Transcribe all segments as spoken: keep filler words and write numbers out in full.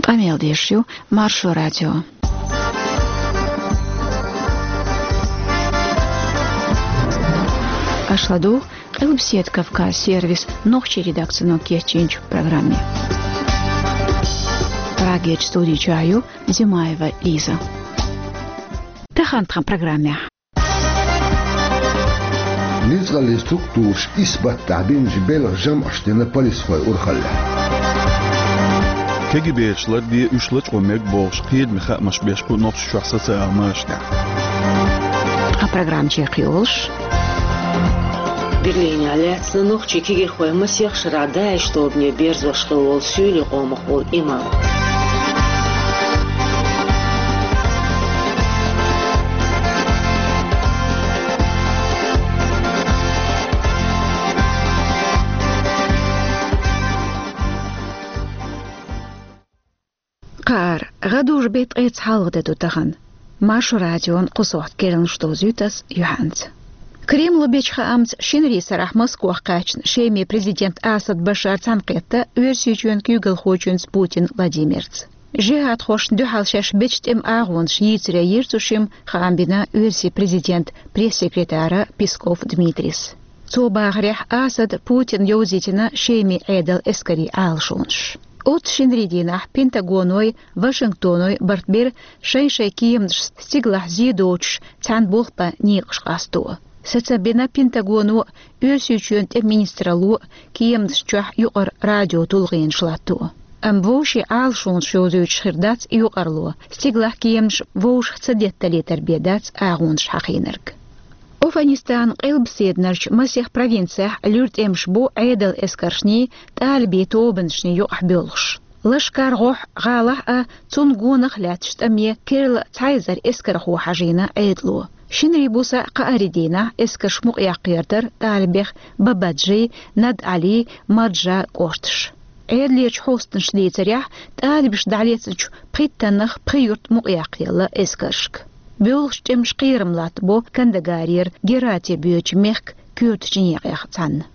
Къамел деш ю Маршо радио. Аша ладугӀу Къилбаседа Кавказ сервисан нохчийн редакцино кечйинчу программе. Прагерчу студи чохь ю Зимаева Лиза. Тахана тхан программехь. Ницкъаллин структураша исбаттахь бинчу белхан жамӀаш дина полисхой урхаллехь. КГБ-чу ларде, уьш лачкъо мега бохуш, кхетаме хаамаш беш бу Нохчийчохь социал машанехь. Ткъа программа чекхйолуш. Берлинехь лаьцна нохчийн кегийрхой масех шарахь ДАИШ тобане берзош хилла волу суьйлийн къомах волу имам. Кхара гӀадужу беттан ткъе цхьалгӀа де ду тахана. Маршо радион кху сохьта керланаш довзуьйту ас юьхьанца. Кремло бечу хаамца, шинарин сарахь Москвахь кхаьчна Шеман президент Асад Башар цхьаьнакхетта Оьрсийчоьнан куьйгалхочуьнца Путин Владимирца. Жихьадхошна дуьхьал шаьш бечу тӀеман агӀонаш йийцаре йира цу шимма, хаам бина Оьрсийн президентан пресс-секретара Песков Дмитрийс. Цо бахарехь, Асада Путина йовзийтина Шеман Ӏедалан эскарийн Ӏалашонаш. Оццу шинарин дийнахь Пентагоной, Вашингтоной барт бира шайн-шайн кеманаш стигалахь зе доцуш цхьаьна болх бан некъаш къасто. Сацам бина Пентагоно, Оьрсийчоьнан тӀеман министралло кеманаш чохь юкъара радиотулгӀенаш латто. Амма вовшийн Ӏалашонаш йовзуьйтуш хир дац и юкъарло, стигалахь кеманаш вовшах ца детталийтар бен дац агӀонаш хьахийнарг. Афганистанан къилбаседарчу масех провинцехь луьра тӀемаш бу Ӏедалан эскаршний, тӀалибийн тобанашний юкъахь боьлхуш. Лашкар-ГӀохь гӀалахь а, цунна гонах а лаьтташ тӀаме керла цхьа эзар эскархо хьажийна Ӏедало. Шинарин буса кхаарин дийнахь эскарш мукъаяккха гӀертара тӀалибех Бабаджи, Над-Ӏали, Марджа кӀошташ. Ӏедалерчу хьостанаша дийцарехь, тӀалибаша дӀалецначу пхийттаннах пхи юрт мукъаяккхаелла эскаршка. Боьлхучу тӀемаша кхерам латтабо Кандагарера Герати боьдучу мехкан коьртачу некъех цхьаьна.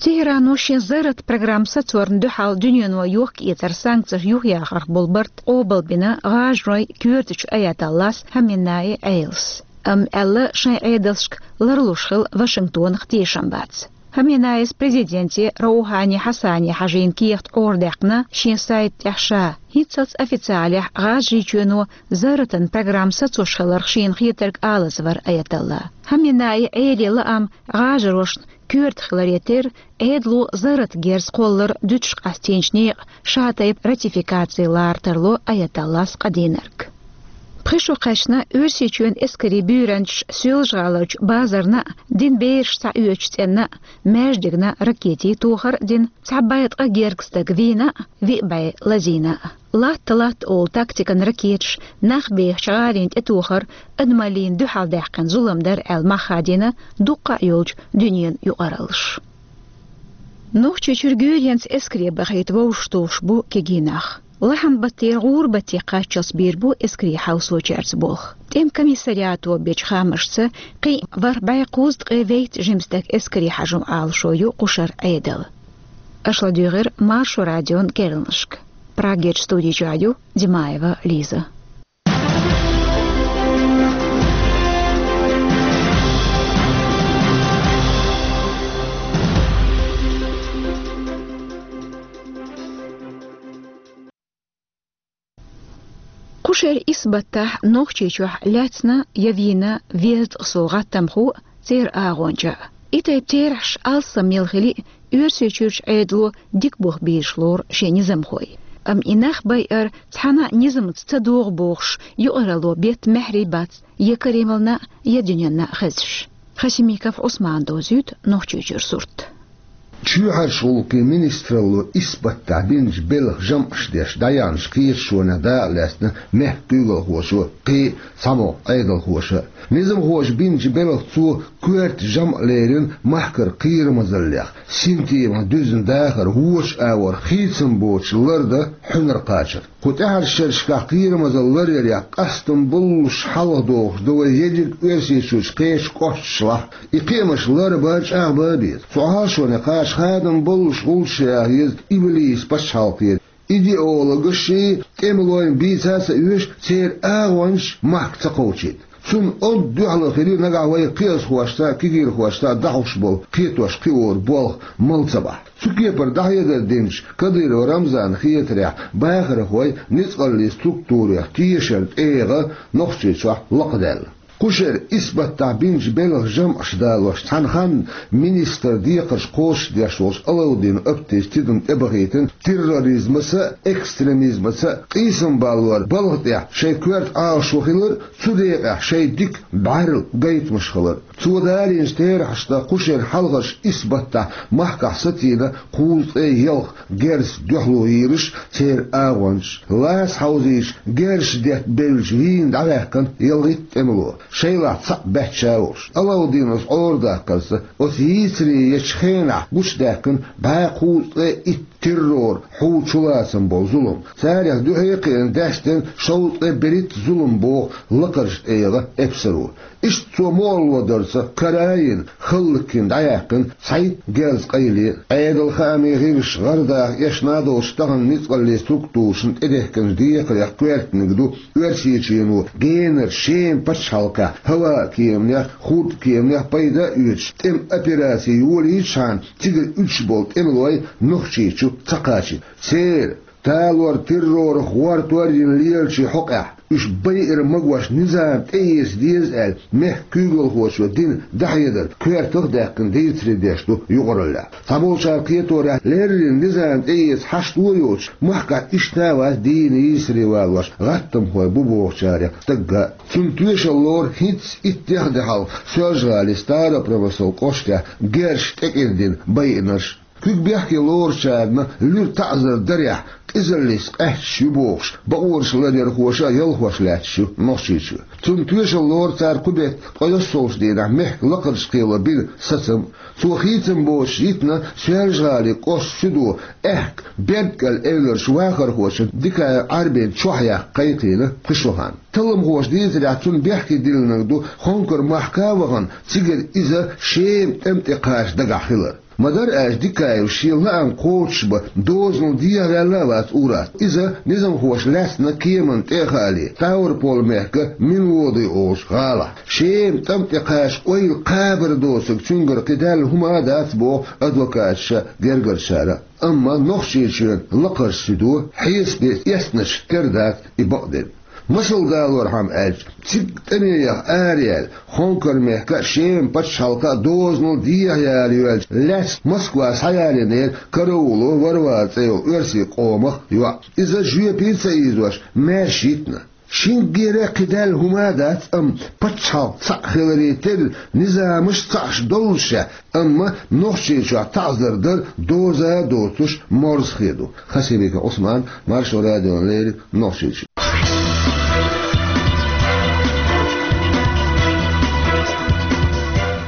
Техьрано шен зарратан программа сацорна дуьхьал дуьнено йохка-эцар санкцеш юхаяхарх болу барт къобалбина ГӀажаройн коьртачу аятоллас Хаменеи Ӏелас. Амма аьлла, шайн Ӏедалшка ларлуш хила Вашингтонах тешам бац. Хаменеис президенте Роухани Хьасане хьажийна кехат Ӏорадаьккхина шен сайта тӀехь ша, хӀинццалц официалехь ГӀажарийчоьно зарратан программа сацош хиларх шена хетарг алаза вара аятолла. Хаменеин Ӏеле лаам ГӀажарошна коьрта хиларе терра, Ӏедало зарратан герз кхоллар дуьтуш къастийначу некъан ша тайпа ратификаци лара тарло аятоллас къадийнарг. Пхи шо кхаьчна Оьрсийчоьнан эскарийн буьйранчаш Соьлжа-ГӀаларчу базарна а, дин бераш схьаоьцучу цӀенна а, маьждигна а ракетийн тохар а дина, цхьа бӀе ткъа гергга стаг вийна а, виъ бӀе лазийна а. Латта-латта олу тактикан ракеташ нах бехачу гӀалина тӀетохар адамаллина дуьхьал даьккхина зулам дара аьлла мах хадийна дуккха а йолчу дуьненан юкъараллаша. Нохчийчуьра гуьйренца эскаре бахийта вовшахтухуш бу кегий нах. Лахьанан баттера гӀуран батте кхаччалц бийр бу эскарийн хьовсочаьрца болх. ТӀеман комиссариато бечу хаамашца, кхин а ворхӀ бӀе кхузткъе вейтта жима стаг эскаре хьажо Ӏалашо ю кху шарахь Ӏедалан. Аша ладуьйгӀира Маршо радион керланашка. Прагерчу студи чохь ю Димаева Лиза. Кху шеран исбаттахь Нохчийчохь лаьцна я вийна везткъа сов гӀаттамхо а, церан агӀонча а. И тайпа терахьаш алссам мел хили а, Оьрсийчуьрчу Ӏедало дика бух бийраш лору шен низамхой. Амма и нах байар цхьана а низамца ца догӀу бохуш, юкъаралло бетта маьхьарий бац я Кремлна а, я дуьненна а хезаш. Хасимиков Ӏусмана довзуьйту Нохчийчуьра сурт. Чоьхьарчу гӀуллакхийн министралло исбаттахь бинчу белхан жамӀаш деш дӀаяьхьначу кхеташонех дакъа лаьцна мехкан куьйгалхоша, кхин а цхьамогӀа Ӏедалхоша. Низамхоша бинчу белхан цо коьрта жамӀ лерина махкара кхерамазаллех, синтемах дуьзна дахар, вочу агӀор хийцам боцуш лардан хьуьнар кхачар. Кху тӀаьхьарчу шерашкахь кхерамазалла ларъярехь къастам боллуш хьалхадохуш ду вай ерриг Оьрсийчуьрчу кхечу кӀошташлахь. И кхиамаш ларбан, чӀагӀбан а беза. Цу Ӏалашоне кхача хадам боллуш гӀулчаш яха еза Иблисан пачхьалкхера. идеологаши тӀемалойн бийца а ца оьшу, церан агӀончаш махка ца кховчийта. Цунна онда дуьхьало хили нагахь вай кхиазхошца а, кегийрхошца а дӀахьош болу кхетош кхиоран болх мала ца бахь. Цу кепара дӀахьедар динчу Кадыров Рамзана хетарехь, бахархой ницкъаллийн структурех тешар тӀегӀа Нохчийчохь лакхадаьлла. Кху шеран исбаттахь бинчу белхан жамӀаш далош, цхьана ханна министран декхарш кхочушдеш волчу Алаудинов Аптис тидам тӀебахийтина терроризмаца а, экстремизмаца а къийсам баллор балха тӀехь шайн коьрта Ӏалашо хилар а, цу декъехь шайн дика бӀаьрла гайтамаш хилар а. Цо далийначу терахьашна кху шеран хьалхарчу исбаттахь махкахь сацийна кхузткъе ялх герзаца дуьхьало йийраш церан агӀончаш, лаца хьовзийча герзаш детта бевлча вийна дӀаваьккхина ялхитта тӀемало, шайлахь цхьаъ баьчча а волуш. Алаудиновс Ӏорадаккхарца, оцу йийцаре ечу хенахь гучудаьккхина бӀе кхузткъе итт террор хьу чулацам болу зулам. Царех дуьхьа а кхиъна даьстина шовзткъе берхӀитта зулам боху лакхарчу тӀегӀан эпсаро. Иштта цо мукъарло дарца кара а йина, хӀаллакйина дӀаяьккхина цхьайтта герзан къайле. Ӏедалан хаамийн гӀирсаша гӀардаха эшна а долуш тахана ницкъаллийн структурашна тӀедехкинчу декхарех коьртаниг ду Оьрсийчоьно генара Шеман пачхьалкхехь хӀаваан кеманех, хурдан кеманех пайда а оьцуш, тӀеман операци йолийчхьана, цигара уьдуш болу тӀемалой Нохчийчу ца кхачийта. Церан талор-террорах гӀортор а йина лелачийн хьокъехь, уьш байъар магош низам тӀеэца деза аьлла, мехкан куьйгалхочо дина дӀахьедар коьртах а даьккхина дийцаре деш ду юкъараллехь. Цхьаболчара кхеторехь, леррина низам тӀеэца хьашт а йоцуш, махкахь иштта а вац дийна йийсаре валош гӀаттамхой бу бохучарех стагга а. Цунна тоьшалла лору хӀинцца итт-дех де хьалха Соьлжа-ГӀалин Старопромыслан кӀоштехь герзаш тӀекӀирдина байинарш. Куьг бехке лоручарна луьра таӀзар дарехь, къизаллица къаьсташ ю бохуш, бакъонаш ларъярхоша а ялхош лаьтташ ю Нохчийчоь. Цунна тоьшалла лору цара кху беттан ткъе йоьссалгӀачу дийнахь мехкан лакхарчу кхело бина сацам. Цо хийцам боцуш йитина Соьлжа-ГӀалин кӀоштан суьдо аьхка Бердкъел эвларчу вахархочун Дикаев Ӏарбин чохь яккха кхайкхийна кху шо хан. Талламхоша дийцарехь, цунна бехке диллинарг ду Хонкар махка а вахана, цигара иза Шеман тӀам тӀе кхача дагахь хилар. Ма-дарра аьлча, Дикаев шен лаам кхочушбан дозанал дехьаваьлла а вац ур-атталла. Иза низамхоша лаьцна кеманна тӀе а хаале, Ставрополь-мехкан Минводы олучу гӀалахь. Шеман тӀам тӀе кхача ойла кхабар доцург цуьнгара кхидаьлла хӀума а дац боху адвокаташа, гергарчара. Амма Нохчийчоьнан лакхарчу суьдо хьесапе эцначу тера дац и бакъдерг. Масал далорхьама аьлча, цига тӀаме яха араяьлла, Хонкар-мехкан а, Шеман пачхьалкхан а дозанал дехьаяла йоьлча лаьцна Москва схьаялийнера карауло Варвара цӀе йолу оьрсийн къомах йоӀ. Иза жоьпе ца ийзош маьрша йитина. Шинггера кхидаьлла хӀума а дац, амма пачхьалкх цхьаъ хиларе терра, низамаш цхьаъш доллушехь, амма Нохчийчохь таӀзар дар доза а доцуш морзахе ду. Хасимиков Ӏусман, Маршо радиона леррина, Нохчийчоь.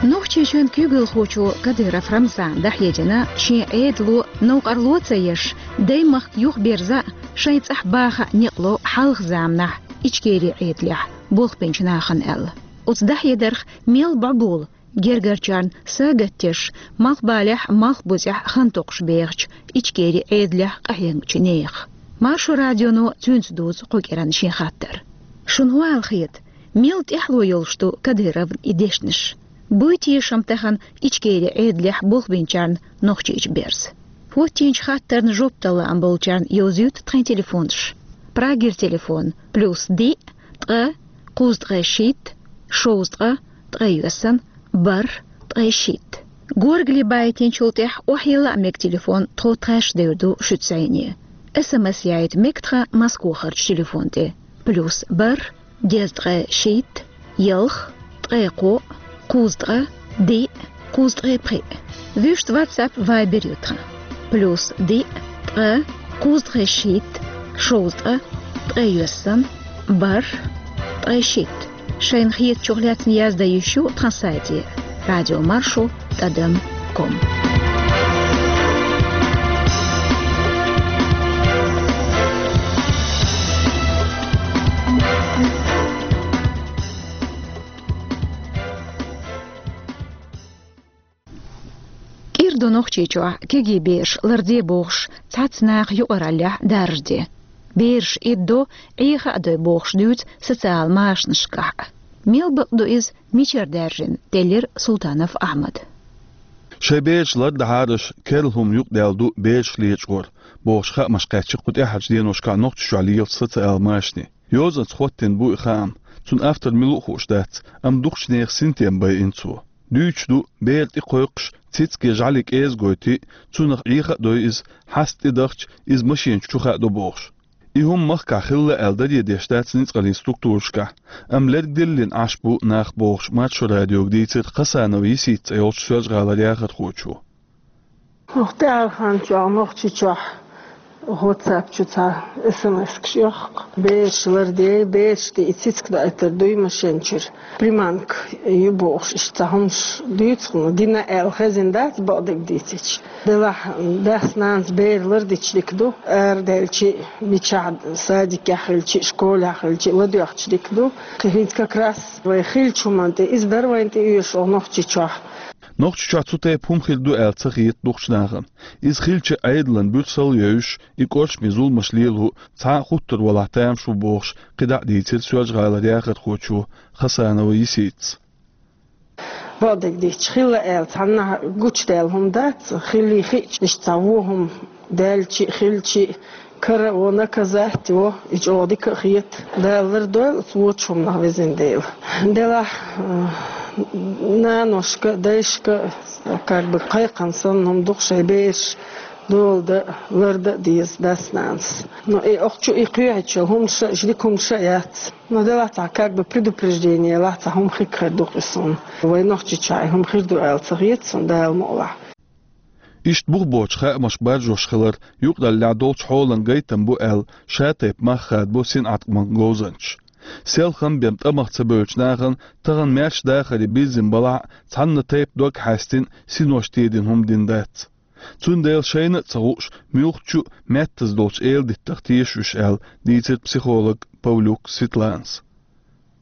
Нохчийчоьнан куьйгалхочо Кадыров Рамзана дӀахьедина шен Ӏедало новкъарло а ца еш, даймахка юхаберза а, шайн цӀахь баха а некъ ло хьалха заманахь Ичкерин Ӏедалехь болх бинчу нахана аьлла. Оцу дӀахьедарх мел бӀобула гергарчарна сагатдеш, малхбалехь а, малхбузехь а хан токхуш бехачу Ичкерин Ӏедалехь къахьегначу нехан. Маршо радионо цуьнца дузу кху кӀиранна шен хаттар. Шуна хӀун аьлла хета, мел тӀаьхьало йолуш ду Кадыровн и дешнаш? Буй тешам тахана Ичкерин Ӏедалехь болх бинчарна Нохчийчу берза? ХӀоттийначу хаттарна жоп дала лаам болчарна йовзуьйту тхайн телефонаш. Прагера телефон: плюс диъ, ткъа, кхузткъе шийтта, шовзткъа, ткъе йоьссана, бархӀ, ткъе шийтта. Горгали байтинчул тӀаьхьа охьайилла а мега телефон, тхо тхаьш девр ду шуьца зӀене. СМС яийта мега тхан Москвахарчу телефон тӀе: плюс бархӀ, дезткъе шийтта, ялх, ткъе кхоъ, кхузткъа, диъ, кхузткъе пхиъ. Вуьшта WhatsApp, Viber ю тхан: плюс диъ, ткъа, кхузткъе шийтта, шовзткъа, ткъе йоьссана, бархӀ, ткъе шийтта. Шайна хетачух лаьцна яздан йиш ю тхан сайте: радиомаршо тӀадам ком. КӀира ду Нохчийчохь кегий бераш ларде бохуш, цхьацца наха юкъараллехь даржаде. Бераш иддо, Ӏеха а дой бохуш дуьйцу социал машанашкахь. Мел бакъ ду иза, мичара даьржина, делира Султанов Ахьмада. Шайн бераш лардахьара аша, керла хӀума юкъадаьлла ду бераш лечкъор, бохуш хаамаш кхаьчна кху тӀаьхьарчу деношкахь Нохчийчохь лелачу социал машане. Йозанца хӀоттийна бу и хаам. Цуьнан автор мила ву хууш дац, амма дукхачу нехан синтем байина цо. Дуьйцуш ду, бер тӀе кхойкхуш, цициг я жӀаьла кӀеза гойтий, цунах Ӏеха а дой иза, хьаста тӀедахча, иза машен чу хаадо бохуш. И хӀума махкахь хилла аьлла даре деш дац ницкъаллин структурашкахь, амма лерг диллина Ӏаш бу нах бохуш, Маршо радиога дийцира Хасанова Йисита цӀе йолчу Соьлжа-ГӀалара яхархочо. Оха тӀаьхьарчу ханна чохь Нохчийчохь WhatsApp чу цхьа эс эм эскаш йохку. Бераш лардей, бераш тӀе и цициг даийтар дуй машен чуьра. Приманка ю бохуш, иштта цхьа хӀумаш дуьйцу хьуна, дина аьлла хезна дац, бакъдерг дийцича. Делахь дас-нанас бер лардича дика ду, арадаьлча, мичахь садикехь хилча, школехь хилча, ладоьгӀча дика ду. Кхин хӀинца как раз вай хиллачу хӀуманна тӀе, иза дара вайна тӀеоьшуш оха Нохчийчохь. Нохчийчохь цу тайпа хӀума хир ду аьлла ца хета дукхачу нахана. Иза хилча, Ӏедалан буьрсалла а йовзуш, и кӀоршаме зуламаш лело цхьа а хуттур валахь тамаш ву бохуш, кхидӀа а дийцира Соьлжа-ГӀалара яхархочо Хасанова Йиситас. Бакъдерг дийцича, хилла аьлла цхьаннахьа гучудаьлла хӀума дац, хиллий хиъча, иштта цхьа вон хӀума даьлча а, хилча а, кара а во, наказать а во, и чӀогӀа дика а хета. Дала лардойла оцу вочу хӀуманах, везан Дела. Делахь, э, наношка, дайшка, как бы, кхайкхина санна хӀума ду-кх шайн бераш дола дан а, лардан а деза дас-нанас. Но и охчу и кхоьхьучу хӀумаша а, иштта дика хӀумаша а яц. Но делахь цхьа, как бы, предупреждение лахь, цхьа хӀума хир ду-кх и суна. Вай Нохчийчохь и хӀума хир ду аьлла ца хета суна, Дала мукъалахь. Иштта бух боцуш хаамаш баржош хилар юкъараллехь долчу хьолан гайтам бу аьлла, ша-тайпа мах хадабо синӀаткъаман говзанчаша. Селхана бен тӀамах ца бевллачу нахана тахана маьрша дахаре бирзина балахь а, цхьанна тайпа дог хьаьстина, синош тедина хӀума дина дац. Цундела шайна а ца хууш, муьлххачу а меттаза долчу эладиттах теша уьш аьлла, дийцира психолог Павлюк Светланас.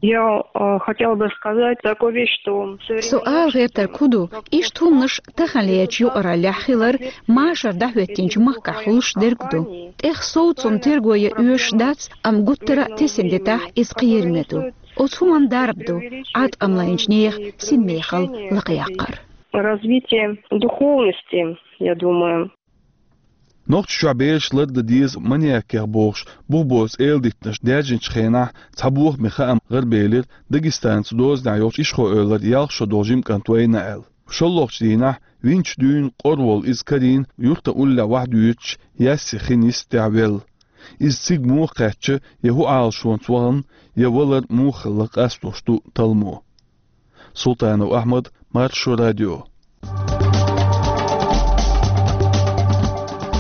Я, э, хотела бы сказать такую вещь, что всё время... Со ала гӀертарг хӀун ду, иштта хӀуманаш таханлерчу юкъараллехь хилар машар дӀахӀоьттинчу махкахь хуьлуш дерг ду. ТӀех сов цунна терго ян оьшуш дац, амма гуттара а тесина дитахь, иза кхераме ду. Оцу хӀуманна дарба ду, Ӏаткъам лайначу нехан синмехалла лакхаяккхар. Развитие духовности, я думаю. Нохчийчохь бераш лардан деза маньякех бохуш, бух боцу эладиттанаш даьржинчу хенахь цхьа бохаме хаам гӀарабелира Дагестанца дозанехь йолчу Ишхой-Эвлара ялх шо долу жима кӀант вайна аьлла. ШолгӀачу дийнахь винчу дуьйна къора волу иза карийна юьртан уллехь вахьа дуьйцуш, Ясси хин йистехь велла. Иза цига муха кхаьчна, я хӀун Ӏалашонца вахана, я валар муха хилла къастош ду талламо. Султанов Ахьмад, Маршо радио.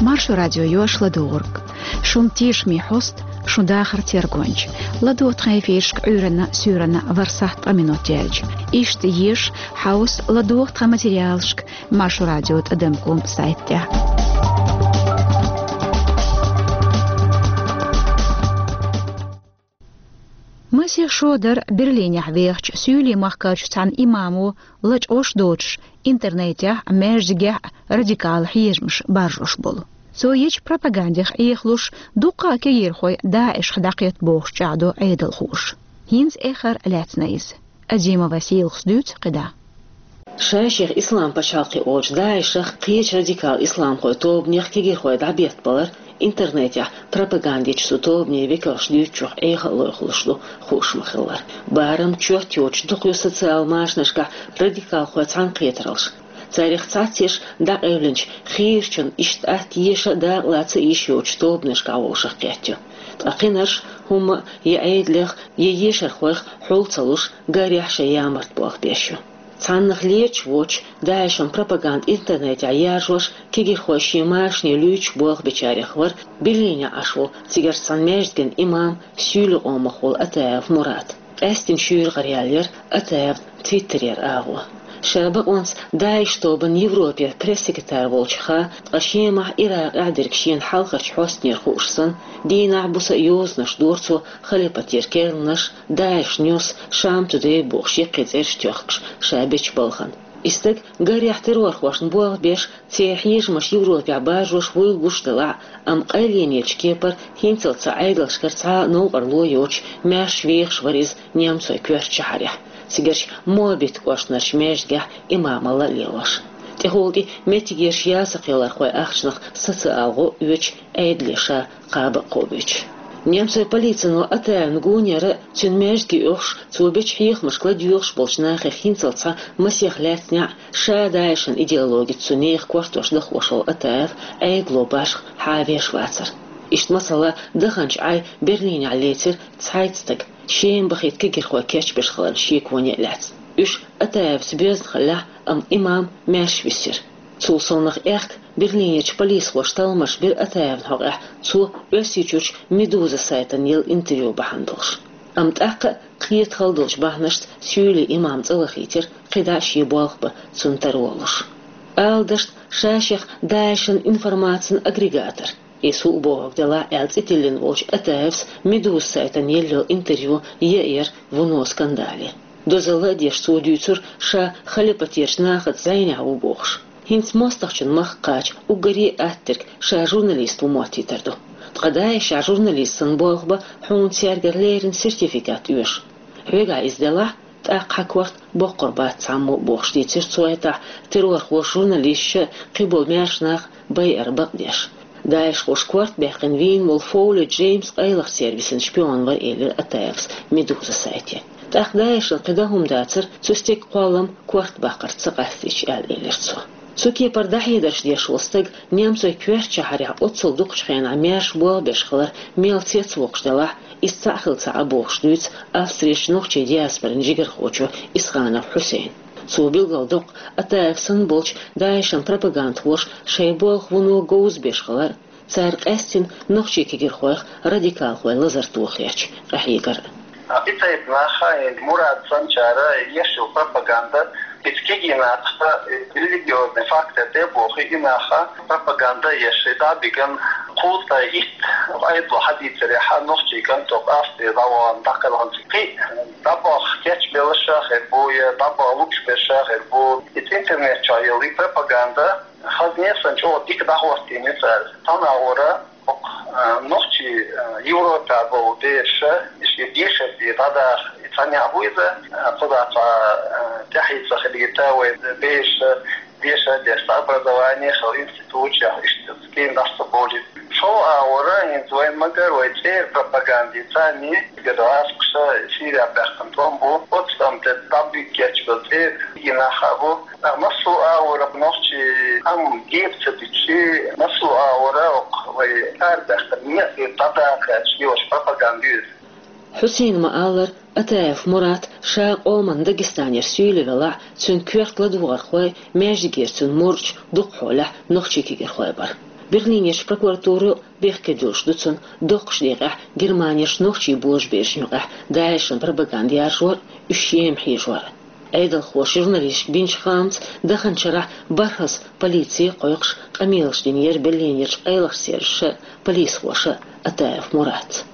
Маршо радио йош ладугӀург. Шун тешаме хьоста, шун дахар тергонча. ЛадогӀа тхан эфирашка Ӏуьйранна, суьйранна ворхӀ сахьт ткъа минот яьлча. Иштта еша, хьовса, ладогӀа тхан материалашка Маршо радио тӀадам ком сайтехь. Масех шо дара Берлинехь вехачу суьйлийн махкарчу цхьана имамо лачкъош доцуш, интернетехь а, маьждигехь а радикал хьежамаш баржош болу. Цо ечу пропагандех Ӏехалуш, дуккха а кегийрхой ДАИШ-х дӀакхетта бохуш чӀагӀдо Ӏедалхоша. ХӀинца эххар лаьцна иза. Азимова Сийлахас дуьйцу кхидӀа. Шай-шех Ислам пачхьалкхе олучу ДАИШ-ах кхечу радикал исламхойн тобанех кегийрхой дӀабеттабалар интернетехь пропаганда ечу цу тобанийн векалша дуьйцучух Ӏеха а лойхуш ду хууш ма-хиллара. Барам чот йоцуш дукха ю социал машанашкахь радикалхойн цхьаьнакхетараллаш. Царех цхьацца ерш дӀакъевлинчу хийрачун иштта атта еша а, дакъа лаца а йиш йоцучу тобанашкахь волушах кхетта ю. Ткъа кхинарш хӀумма а я Ӏедалех, я ешархойх хьул ца луш, гарехь шайн ямарта болх беш ю. Цхьаннах леташ воцуш, ДАИШ-ан пропаганда интернетехь яржош, кегийрхой шен машане луьйчуш болх бечарех вара Берлинехь Ӏаш волу, цигарчу цхьана маьждиган имам, суьйлийн къомах волу Атаев Мурат. Къаьсттина шуьйра гӀараяьлла яра Атаевн Твиттерера агӀо. Ша бакъонца ДАИШ тобанан Европера пресс-секретарь волчух а, ткъа Шемахь, Иракъехь дерг шена хьалхарчу хьостанера хууш санна, дийнахь, буса а йозанаш дора цо халипатера керланаш, ДАИШ Ньюс, Шам Тудей бохуш яккхий цӀераш тоьхкуш ша бечу балхана. И стаг гарехь террорхошна болх беш, церан хьежамаш Европехь баржош вуйла гуш делахь а, амма къайленечу кепара хӀинццалц цу Ӏедалшкара цхьа а новкъарло йоцуш маьрша вехаш вара иза немцойн коьртачу шахьарехь, цигарчу Моабит кӀоштарчу маьждигехь имамалла а лелош. ТӀехула тӀе меттигерчу ясакхелхархойн ахчанах саца ала гӀо а оьцуш, Ӏедале ша кхаба а кхобуьйтуш. Немцойн полицино Атаевна гонера а, цуьнан маьждиге оьхуш, цо бечу хьехамашка ладоьгӀуш болчу нахах хӀинццалц цхьа масех лаьцна неӀ, ша ДАИШан идеологица цу нехан кортош дахош волу Атаев Ӏедало башха хьан а веш вацара. Иштта, масала, даханчу Ӏай Берлинехь лецира цхьайтта стаг, Шема бахийта кегийрхой кечбеш хиларна шеконе а лаьцна. Уьш Атаевца боьзна хиллехь а, амма имам маьрша висира. Цул совнаха аьхка Берлинерчу полисхоша талламаш бира Атаевна хьокъехь, цо Оьрсийчуьрчу «Медуза» сайтана елла интервью бахьана долуш. Амма тӀаккха а кхета хала долчу бахьанашца суьйлин имам цӀа вахийтира, кхидӀа а шен болх бан цунна тара волуш. Ала дашна, ша шех ДАИШан информацин агрегатор, иза хӀуъа бохург делахь а, аьлла цӀе тиллина волчу Атаевс «Медуза» сайтана елла йолу интервью яйира вуно скандале. Дозалла а деш, цо дуьйцура, ша халипатерчу нахаца зӀенехь ву бохуш. ХӀинца мостагӀчун махка кхача уггаре а аттаверг ша журналист ву моттийтар ду. Ткъа ДАИШехь журналист санна болх бан хьуна цаьргара леррина сертификат оьшу. Хьоьгахь иза делахь, тӀаккха хьан корта боккхур бац цхьаммо а, бохуш дийцира цо, хӀетахь террорхоша журналисташ а, кхиболу маьрша нах а байар бакъдеш. ДАИШхоша корта баьккхина вийна волу Фоули Джеймс къайлахчу сервисан шпион вара, элира Атаевс «Медуза» сайте. ТӀаккха ДАИШан кхин дан хӀума дацара, цу стеган кхоллам корта баккхарца ца къастийча, аьлла элира цо. Цу кепара дӀахьедарш деш волу стаг немцойн коьртачу шахьарехь оццул дукхачу хенахь маьрша болх беш хилар мел цецвоккхуш делахь а, иза цхьаъ хилла ца Ӏа бохуш дуьйцу Австрерчу нохчийн диаспоран жигархочо Исханов Хьусейна. Цо билгалдоккху Атаев санна болчу ДАИШан пропагандхоша шайн болх вуно говза беш хилар, цара къаьстина нохчийн кегийрхойх радикалхойн лазар тохарехь къахьегар а. И тайпа наха, и Мурат санначара еш йолу пропаганда, иза кегий нахаца религиозный фактор тӀе а бохий, и наха пропаганда еш, и дӀа а биган, кхузткъе итт Ӏедало хьадийцарехь, нохчийн кӀант Австрера дӀавахана, дӀакхелхина, кхин а дӀабаха кечбелларш а хир бу, я дӀабаха лууш берш а хир бу. Иза интернет чохь йолу и пропаганда хазне а санна чӀогӀа дика дӀахӀоттийна цара. Цхьана агӀора, хӀокху, а, нохчий, а, Европехь болу бераш, и шен дешарца дӀадаха, и цхьа некъ бу иза, а, кхузахь цхьа, а, тӀаьхье ца хилийта вайн бераш, деша а деш, цхьа образование хила, институтехь, иштта кийна дӀаса ца бовлийта. ШолгӀа агӀора, хӀинца вайна ма-гарра, вай цӀера пропаганда, царний гӀазкхаша Сирехь баьккхина тӀом бу, оцу тӀам тӀе дӀабиггечбелла цӀера кегий нах а бу. Ткъа массо а агӀора нохчий амма гепа ца дичи, массо а агӀора хӀокху вай арабаьхкина некъ дӀадаккха аьлча йолуш пропаганда ю иза. Хьусейна ма-аллара, Атаев Мурат ша къоман Дагестанера суьйли велахь а, цуьнан коьрта ладогӀархой, маьждигера цуьнан мурдаш дукхахьолехь нохчийн кегийрхой бара. Берлинерчу прокуратуро бехке дуьллуш ду цунна доккхачу декъехь Германерчу нохчийн божаберашна юкъахь ДАИШан пропаганда яржор а, уьш Шема хьежор а. Ӏедалхоша журналисташка бинчу хаамца, даханчу шарахь бархӀазза полици а кхойкхуш, къамелаш динера Берлинерчу къайлахчу сервисаша а, полисхоша а Атаев Муратца.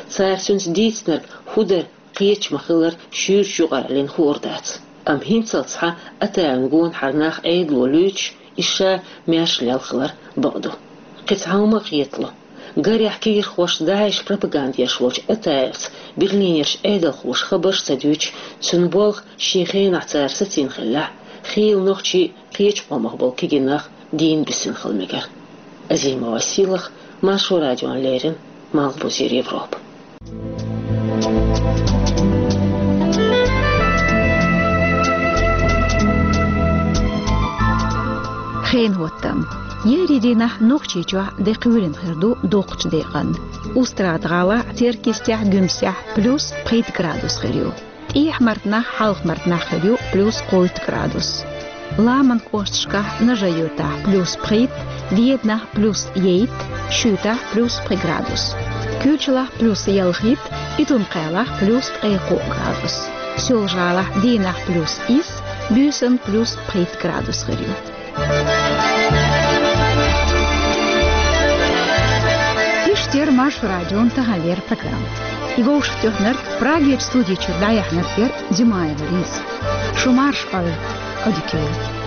Цара цуьнца дийцинарг хӀун дара, кхеташ ма-хиллара, шуьйрачу юкъараллина хуур дац. Амма хӀинццалц цхьа Атаевна гонахьара нах Ӏедало луьйчуш, иза ша маьрша лелла хилар бакъ ду. Кхин цхьа хӀума а кхетало. Гарехь кегийрхошца ДАИШан пропаганда еш волчу Атаевца Берлинерчу Ӏедалхоша хабарш а ца дуьйцуш, цуьнан болх шен хенахь цара сацийна хиллехь а, хийла нохчий, кхечу къомах болу кегий нах дийна буьсина хила мегара. Азимова Сийлаха, Маршо радиона леррина, Малхбузера Европа. Хенан хӀоттам. Еарин дийнахь Нохчийчохь де кхоьлина хир ду доккхачу декъана. Устрада-ГӀалахь, Теркйистехь, Гуьмсехь плюс пхийтта градус хир ю. ТӀехьа-Мартанахь, Хьалха-Мартанахь хир ю плюс кхойтта градус. Ламанан кӀошташкахь: Нажи-Юьртахь плюс пхийтта, Веданахь плюс ейтта, Шуьйтахь плюс пхи градус, Куьйчалахь плюс ялхитта, Итун-Кхаьлахь плюс ткъе кхоъ градус, Соьлжа-ГӀалахь дийнахь плюс исс, буьйсанна плюс пхийтта градус хир ю. Иштта яра Маршо радион таханлера программа. И вовшахтоьхнарг, Прагерчу студи чуьра дӀаяьхьнарг яра Димаева Лиза. Шу марша Ӏойла! Audio Curiosity.